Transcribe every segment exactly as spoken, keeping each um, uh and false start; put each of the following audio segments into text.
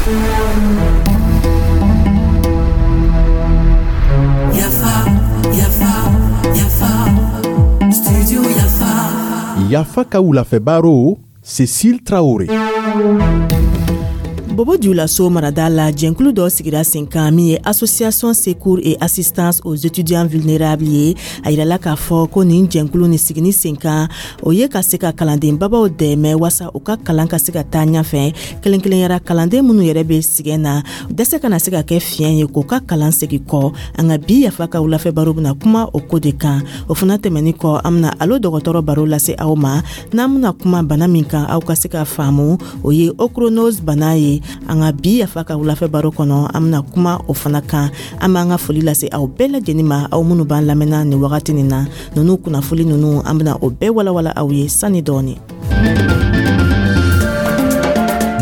Yafa, Yafa, Yafa, Studio Yafa. Yafa ka wulafɛ baro, Cécile Traoré. Bobo Dioulasso marada la, jɛnkulu dɔ sigira sen kan min ye Association Secours et Assistance aux étudiants vulnérables ye. A yirala k'a fɔ ko nin jɛnkulu ni sigini sen kan, o ye ka se ka kalanden babaw dɛmɛ wasa u ka kalan ka se ka taa ɲafɛ, kelen kelenyara kalanden minnu yɛrɛ be sigɛn na, dɛsɛ kana se ka kɛ fiɲɛ ye k'u ka kalan segi kɔ. An ka bi Yafa ka wulafɛ baro bena kuma o ko de kan. O fana tɛmɛni kɔ, an bena Alo dɔgɔtɔrɔ baro lase aw ma. N'an bena kuma bana min kan, aw ka se ka faamu, o ye ochronose bana ye. An ka bi Yafa ka wulafɛ baro kɔnɔ, an bena kuma o fana kan. An b'an ka foli lase aw bɛɛ lajɛnin ma, aw minnu b'an lamɛnna nin wagati nin na. Nunu kunnafoli nunu, an bena o bɛɛ walawala aw ye sani dɔɔni.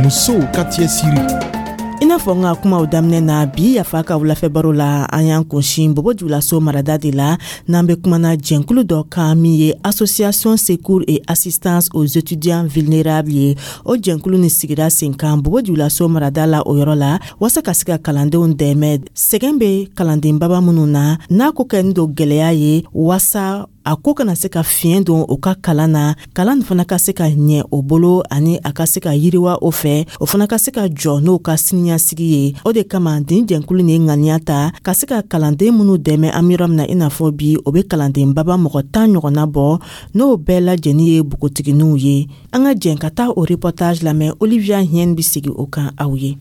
Musow ka cɛsiri. I n'a fɔ n ka kumaw daminɛ na, bi Yafa ka wulafɛ baro la, an y'an kunsin Bobo Dioulasso marada de la, n'an be kumana jɛnkulu dɔ kan min ye Association Secours et Assistance aux étudiants vulnérables ye. O jɛnkulu ni sigira sen kan Bobo Dioulasso marada la, o yɔrɔ la, waasa ka se ka kalandenw dɛmɛ, sɛgɛn be kalanden baba minnu na, n'a ko kɛni don gwɛlɛya ye, waasa a ko kana se ka fiɲɛ don u ka kalan na, kalan fana ka se ka ɲɛ o bolo, ani a ka se ka yiriwa o fɛ, o fana ka se ka jɔ n'o ka siniɲasigi ye. O de kama nin jɛnkulu ni ŋaniya ta ka se ka kalanden minnu dɛmɛ. An yɔrɔ min na i n'a fɔ bi, o be kalanden baba mɔgɔ tan ɲɔgɔnna bɔ, n'o bɛɛ lajɛnin ye npogotiginiw ye. An ka jɛn ka taa o reportage lamɛn. Olivia Hien bi sigi o kan aw ye.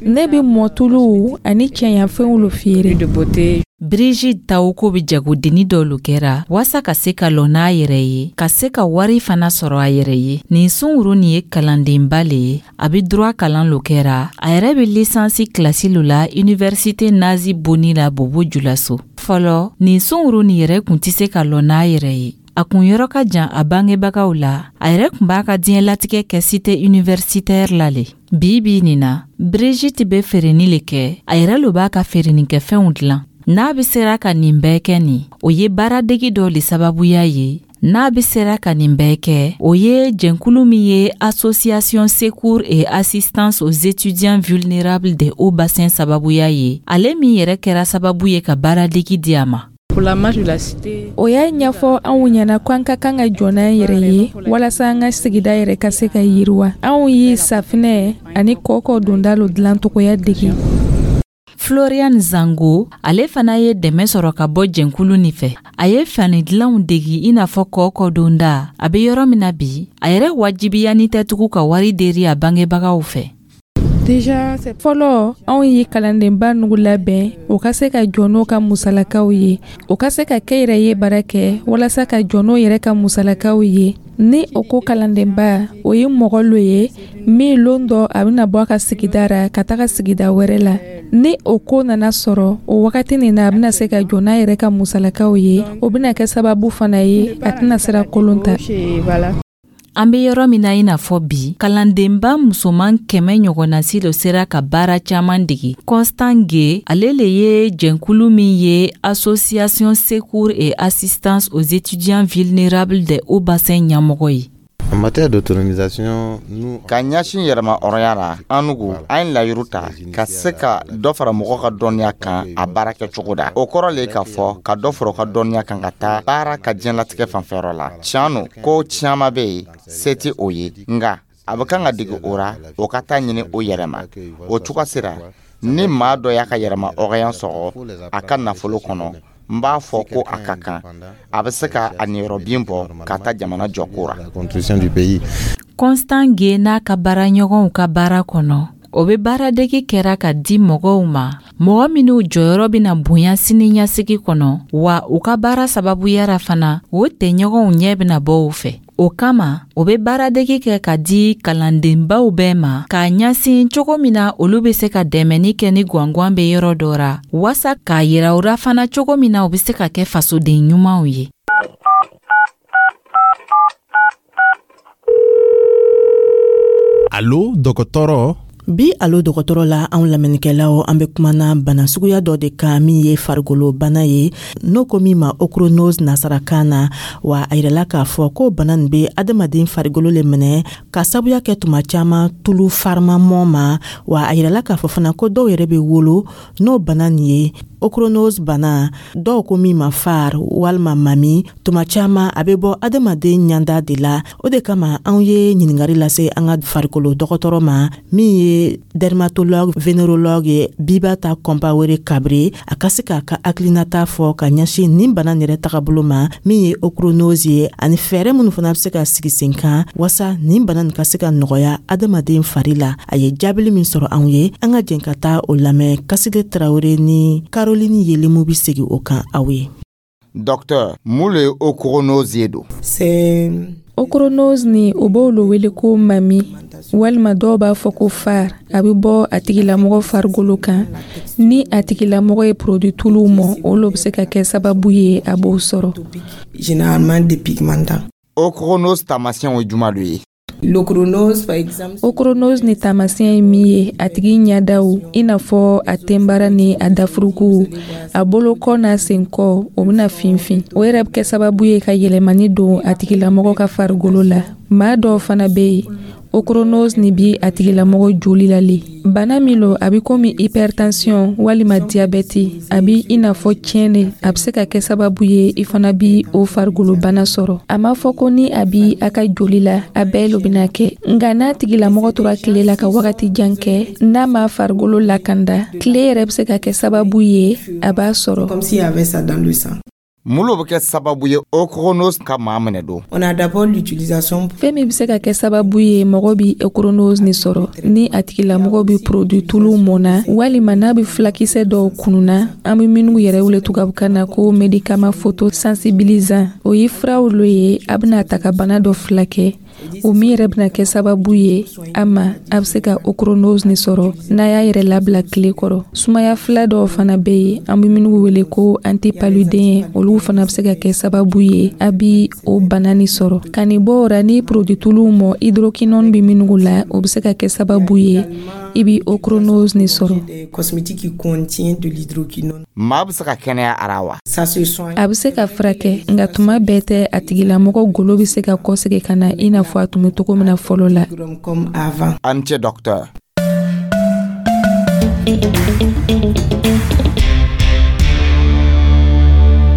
Ne bɛ mɔtuluw ani cɛɲafɛnw lo feere. Brigitte Tawoko bɛ jagodenni dɔ lo kɛra waasa ka se ka lɔ n'a yɛrɛ ye, ka se ka wari fana sɔrɔ a yɛrɛ ye. Nin sunguru nin ye kalandenba le ye, a bɛ droit kalan lo kɛra. A yɛrɛ bɛ licence kilasi lo la Université Nazi Boni la Bobo Julaso. Fɔlɔ, nin sunguru nin yɛrɛ kun tɛ se ka lɔ n'a yɛrɛ ye. A kun yɔrɔ ka jan a bangebagaw la. A yɛrɛ kun b'a ka diɲɛlatigɛ kɛ cité universitaire la le. Bi bi nin na, Brigitte bɛ feereni le kɛ. A yɛrɛ lo b'a ka feerenikɛfɛnw dilan. N'a bɛ sera ka nin bɛɛ kɛ nin, o ye baaradegi dɔ le sababuya ye. N'a bɛ sera ka nin bɛɛ kɛ, o ye jɛnkulu min ye Association Secours et Assistance aux étudiants vulnérables des Hauts Bassins sababuya ye, ale min yɛrɛ kɛra sababu ye ka baaradegi di a ma. O y'a ɲɛfɔ anw ɲɛna ko an ka kan ka jɔ n'an yɛrɛ ye walasa an ka sigida yɛrɛ ka se ka yiriwa. Anw ye safinɛ ani kɔkɔ donda lo dilancogoya dege. Florian Zango, ale fana ye dɛmɛ sɔrɔ ka bɔ jɛnkulu nin fɛ. A ye fani dilanw degi, i n'a fɔ kɔkɔ donda. A bɛ yɔrɔ min na bi, a yɛrɛ wajibiyani tɛ tugun ka wari deri a bangebagaw fɛ. Fɔlɔ, anw ye kalandenba nugu labɛn o ka se ka jɔ n'o ka musalakaw ye, o ka se ka kɛ yɛrɛ ye baara kɛ walasa ka jɔ n'o yɛrɛ ka musalakaw ye. Ni o ko kalandenba, o ye mɔgɔ lo ye min lon dɔ a bɛna bɔ a ka sigida ra ka taga sigida wɛrɛ la. Ni o ko nana sɔrɔ, o wagati nin na, a bɛna se ka jɔ n'a yɛrɛ ka musalakaw ye. O bɛna kɛ sababu fana ye a tɛna sira kolon ta. An be yɔrɔ min na i n'a fɔ bi, kalandenba musoman kɛmɛ ɲɔgɔnnasi lo sera ka baara caaman degi. Constant Ge, ale le ye jɛnkulu min ye Association Secours et Assistance aux étudiants vulnérables des Hauts Bassins ɲɛmɔgɔ ye. En matière d'autonomisation, nous Ka ɲɛsin yɛrɛma hɔrɔnya la, an nugu an ye layiru ta ka se ka dɔ fara mɔgɔ ka dɔnniya kan a baara kɛcogo da. O kɔrɔ le k'a fɔ ka dɔ fara u ka dɔnniya kan ka taa baara ka diɲɛlatigɛ fanfɛyɔrɔ la. Tiɲɛ no, ko caman bɛ yen se tɛ o ye, nga a bɛ kan ka dege o ra, o ka taa ɲini o yɛrɛ ma. O cogo sera ni maa dɔ y'a ka yɛrɛma hɔrɔnya sɔrɔ a ka nafolo kɔnɔ, n b'a fɔ ko a ka kan a bɛ se ka a niyɔrɔbin bɔ ka taa jamana jɔko ra. La construction du pays. Constant Ge n'a ka baaraɲɔgɔnw ka baara kɔnɔ, o be baaradegi kɛra ka di mɔgɔw ma, mɔgɔ minw jɔyɔrɔ bena bonya sini ɲɛsigi kɔnɔ, wa u ka baara sababuyara fana, o tɛɲɔgɔnw ɲɛ bena bɔ u fɛ. O kama, o be baaradegi kɛ ka di kalandenbaw bɛɛ ma, k'a ɲasin cogo min na olu be se ka dɛmɛni kɛ ni gwangwan be yɔrɔ dɔ ra, waasa k'a yira u ra fana cogo min na u be se ka kɛ fasoden ɲumanw ye. Alo dɔgɔtɔrɔ. Bi Alo dɔgɔtɔrɔ la, anw lamɛnnikɛlaw, an bɛ kumana bana suguya dɔ de kan min ye farikolo bana ye, n'o ko min ma ochronose nasarakan na. Wa a yirala k'a fɔ ko bana nin bɛ adamaden farikolo le minɛ ka sabuya kɛ tuma caman tulu farimamɔ ma. Wa a yirala k'a fɔ fana ko dɔw yɛrɛ bɛ wolo n'o bana nin ye. Ochronose bana, dɔw ko min ma far walima mami, tuma caman a bɛ bɔ adamaden ɲanda de la. O de kama anw ye ɲiningari lase an ka farikolo dɔgɔtɔrɔ ma, min ye dermatologue vénérologue ye, Bibata Kɔnpawere Kabre, a ka se k'a ka hakilinata fɔ ka ɲɛsin nin bana yɛrɛ tagabolo ma, min ye ochronose ye, ani fɛɛrɛ minnu fana bɛ se ka sigi sen kan wasa nin bana nin ka se ka nɔgɔya adamaden fari la. A ye jaabili min sɔrɔ anw ye, an ka jɛn ka taa o lamɛn. Kasile Tarawele ni Caroline Yelemu bi segin o kan aw ye. Docteur, mun le ye ochronose ye don? C'est Ochronose ni, o b'olu wele ko mami walima dɔw b'a fɔ ko far. A bɛ bɔ a tigilamɔgɔ farikolo kan ni a tigilamɔgɔ ye produit tuluw mɔ. Olu bɛ se ka kɛ sababu ye a b'o sɔrɔ. Généralement dépigmentant. Ochronose taamasiyɛnw ye juma lo ye? L'ochronose, par exemple, Ochronose ni taamasiyɛn ye min ye, a tigi ɲɛdaw, i n'a fɔ a tenbara ni a dafuruku, a bolokɔ n'a senkɔ, o bɛna finfin. O yɛrɛ bɛ kɛ sababu ye ka yɛlɛmani don a tigilamɔgɔ ka farikolo la. Maa dɔw fana bɛ yen, ochronose ni bi a tigilamɔgɔ joli la le. Bana min lo, a bɛ komi hypertension walima diabɛti. A bi i n'a fɔ tiɲɛ, a bɛ se ka kɛ sababu ye i fana bi o farikolo bana sɔrɔ. A ma fɔ ko ni a bi a ka joli la, a bɛɛ lo bɛna kɛ, nka n'a tigilamɔgɔ tora tile la ka wagati jan kɛ, n'a ma farikolo lakanda, tile yɛrɛ bɛ se ka kɛ sababu ye a b'a sɔrɔ. Comme s'il y avait ça dans le sang. Mun lo bɛ kɛ sababu ye ochronose ka maa minɛ don? On a d'abord l'utilisation Fɛn min bɛ se ka kɛ sababu ye mɔgɔ bi ochronose ni sɔrɔ, ni a tigilamɔgɔ bi produit tulu mɔnna walima n'a bɛ fulakisɛ dɔw kununa, an bɛ minnu yɛrɛ wele tubabukan na ko médicament photosensibilisant. O ye furaw lo ye, a bɛna ta ka bana dɔ fulakɛ, o min yɛrɛ bɛna kɛ sababu ye a ma a bɛ se ka ochronose ni sɔrɔ n'a y'a yɛrɛ labila tile kɔrɔ. Sumaya fila dɔw fana bɛ yen, an bɛ minnu wele ko antipaludéen, olu fana bɛ se ka kɛ sababu ye a bi o bana ni sɔrɔ. Ka nin bɔ o ra, ni produit tuluw mɔ, hydroquinone bɛ minnu la, o bɛ se ka kɛ sababu ye i bi ochronose ni sɔrɔ. Des cosmétiques qui contiennent de l'hydroquinone. Maa bɛ se ka kɛnɛya ara wa? Ça se soigne. A bɛ se ka furakɛ, nka tuma bɛɛ tɛ a tigilamɔgɔ golo bɛ se ka kɔsegin ka na i n'a fɔ a tun bɛ cogo min na fɔlɔ la. Comme avant. A ni ce, docteur.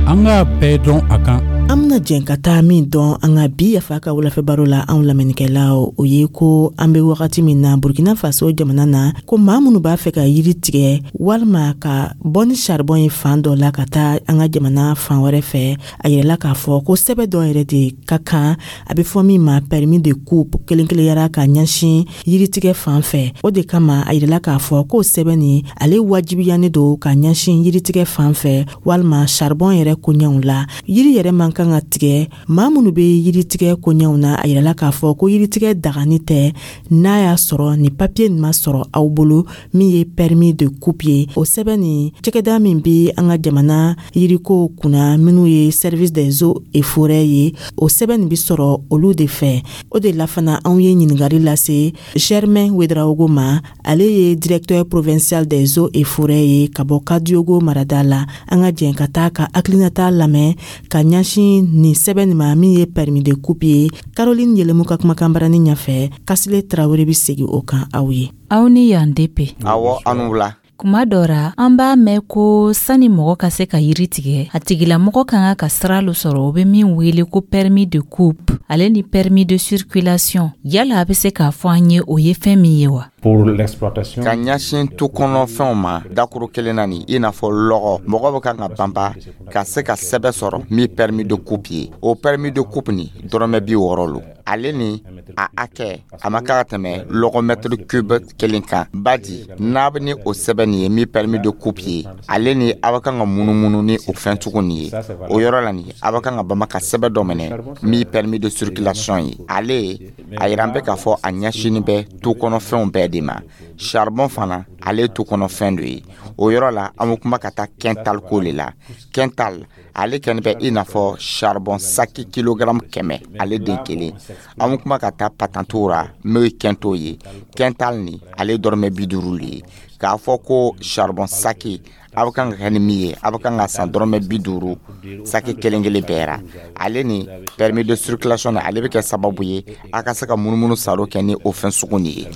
An k'a bɛɛ dɔn a kan. An bena jɛn ka taa min dɔn an ka bi Yafa ka wulafɛ baro la, anw lamɛnnikɛlaw, o ye ko an be wagati min na Burkina Faso jamana na, ko maa minnu b'a fɛ ka yiri tigɛ walima ka bɔ ni charbon ye fan dɔ la ka taa an ka jamana fan wɛrɛ fɛ, a yɛrɛla k'a fɔ ko sɛbɛ dɔ yɛrɛ de ka kan, a be fɔ min ma permis de coupe, kelen kelenyara ka ɲɛsin yiritigɛ fan fɛ. O de kama a yirala k'a fɔ k'o sɛbɛ nin, ale wajibiyanen don ka ɲɛsin yiritigɛ fan fɛ walima charbon yɛrɛ koɲɛw la. Yiri yɛrɛ man kan ka tigɛ. Maa minnu bɛ yiritigɛ koɲɛw na, a yirala k'a fɔ ko yiritigɛ dagani tɛ n'a y'a sɔrɔ ni papiye nin ma sɔrɔ aw bolo, min ye permis de coupe ye. O sɛbɛn nin, cakɛda min bɛ an ka jamana yirikow kunna, minnu ye Service des eaux et forêts ye, o sɛbɛn nin bɛ sɔrɔ olu de fɛ. O de la fana anw ye ɲininkali lase Germain Ouedraogo ma, ale ye directeur provincial des eaux et forêts ye ka bɔ Kadiogo marada la. An ka jɛn ka taa ka hakilinata lamɛn ka ɲɛsin nin sɛbɛn nin ma, min ye permis de coupe ye. Caroline Yelemu ka kumakan barani ɲɛfɛ, Kasile Tarawele bɛ segin o kan aw ye. Aw ni yan depe. Awɔ, an wula. Kuma dɔ ra, an b'a mɛn ko sani mɔgɔ ka se ka yiri tigɛ, a tigilamɔgɔ ka kan ka sira lo sɔrɔ, o be min wele ko permis de coupe ale ni permis de circulation. Yala a be se k'a fɔ an ye o ye fɛn min ye wa? Pour l'exploitation. Ka ɲɛsin tu kɔnɔfɛnw ma dakuru kelen na nin, i n'a fɔ lɔgɔ, mɔgɔ bɛ kan ka banba ka se ka sɛbɛ sɔrɔ min permis de coupe ye. O permis de coupe nin, dɔrɔmɛ bi wɔɔrɔ lo. Ale ni a hakɛ, a ma kan ka tɛmɛ lɔgɔ mètre cube kelen kan. Badi n'a bɛ ni o sɛbɛn nin ye, min permis de coupe ye, ale ni a bɛ kan ka munumunu ni o fɛn sugu nin ye, o yɔrɔ la nin, a bɛ kan ka bama ka sɛbɛn dɔ minɛ min permis de circulation ye. Ale a yira an bɛ k'a fɔ a ɲɛsinni bɛ tu kɔnɔfɛnw bɛɛ de. de ma. Charbon fana, ale ye tu kɔnɔ fɛn dɔ ye. O yɔrɔ la, an bɛ kuma ka taa quintal ko le la. Quintal, ale kɛni bɛ i n'a fɔ charbon saki kilogramme kɛmɛ, ale den kelen. An bɛ kuma ka taa patantiw ra, n'o ye quintaux ye. Quintal ni, ale ye dɔrɔmɛ bi duuru le ye. K'a fɔ ko charbon saki a bɛ kan ka kɛ ni min ye, a bɛ kan ka san dɔrɔmɛ bi duuru saki kelen kelen bɛɛ ra. Ale ni permis de circulation ni, ale bɛ kɛ sababu ye a ka se ka munumunu saro kɛ ni o fɛn sugu nin ye.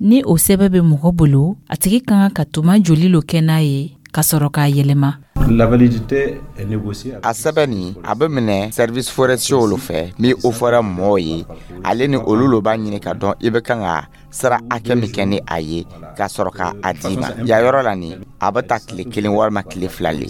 Ni o sɛbɛ bɛ mɔgɔ bolo, a tigi ka kan ka tuma joli lo kɛ n'a ye ka sɔrɔ k'a yɛlɛma? La validité est négociée. A sɛbɛn nin, a bɛ minɛ service forestier olu fɛ, min o fɔra mɔgɔw ye. Ale ni olu lo b'a ɲini ka dɔn i bɛ kan ka sira hakɛ min kɛ ni a ye, ka sɔrɔ ka a d'i ma. Yan yɔrɔ la nin, a bɛ ta tile kelen walima tile fila le.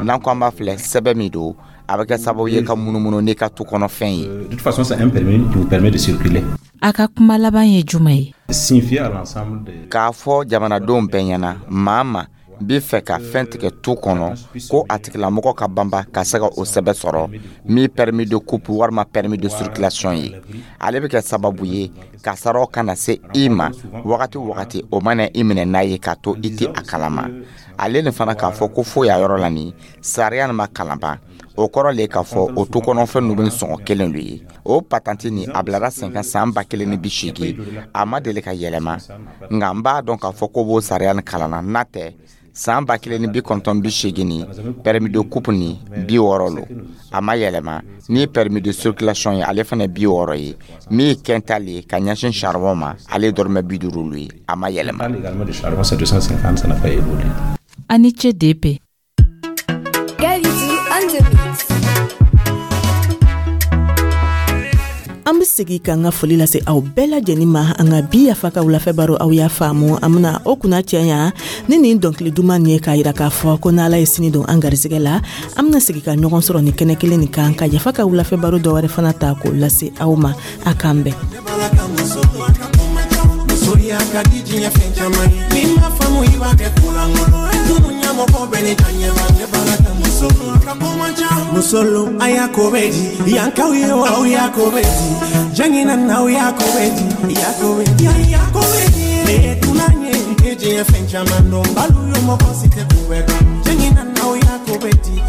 N'an ko an b'a filɛ, sɛbɛn min don, a bɛ kɛ sababu ye ka munumunu n'i ka tu kɔnɔfɛn ye. De toute façon, c'est un permis qui vous permet de circuler. A ka kuma laban ye jumɛn ye? Signifier à l'ensemble des K'a fɔ jamanadenw bɛɛ ɲɛna, maa ma b'i fɛ ka fɛn tigɛ tu kɔnɔ, ko a tigilamɔgɔ ka banba ka se ka o sɛbɛn sɔrɔ, min permis de coupe walima permis de circulation ye. Ale bɛ kɛ sababu ye kasaraw kana se i ma wagati o wagati o mana i minɛ n'a ye k'a to i tɛ a kalama. Ale nin fana, k'a fɔ ko foyi a yɔrɔ la nin, sariya nin ma kalan ban. O kɔrɔ le k'a fɔ o tu kɔnɔfɛn ninnu bɛ sɔngɔ kelen de ye. O patante nin, a bilara sen kan san ba kelen ni bi seegin, a ma deli ka yɛlɛma. Nka n b'a dɔn k'a fɔ ko b'o sariya nin kalanna. N'a tɛ, san ba kelen ni bi kɔnɔntɔn bi seegin ni, permis de coupe ni bi wɔɔrɔ lo, a ma yɛlɛma. Ni permis de circulation ye, ale fana bi wɔɔrɔ ye. Min ye quintal ye ka ɲɛsin charbon ma, ale ye dɔrɔmɛ bi duuru lo ye, a ma yɛlɛma. Également de charbon, c'est deux cent cinquante, ça n'a pas évolué. A ni ce D P. Galidou on the mix. An be segi k'an ka foli lase aw bɛɛ lajɛnin ma. An ka bi Yafa ka wulafɛ baro, aw y'a faamu, an bena o kunna cɛɲa ni nin dɔnkili duman nin ye, k'a yira k'a fɔ ko n'Ala ye sini don an garisɛgɛ la, an bena segi ka ɲɔgɔn sɔrɔ ni kɛnɛ kelen nin kan, ka Yafa ka wulafɛ baro dɔwɛrɛ fana ta k'o lase aw ma. A k'an bɛn. Musoya ka di diɲɛ fɛn caman ye. Ni ma faamu, i b'a kɛ kolankolon ye. Tunu ɲɛmɔgɔ bɛ ne ta ɲɛma, ne b'a la ka muso ka ko man ca. Musolu, a y'a ko bɛ di yankaw ye wa? Aw y'a ko bɛ di jangina n'aw y'a ko bɛ di y'a ko bɛ di y'a ko bɛ di. Ne ye dunan ye, e diɲɛ fɛn caman dɔn. Balu yo, mɔgɔ si tɛ ko bɛɛ dɔn. Jangina n'aw y'a ko bɛ di.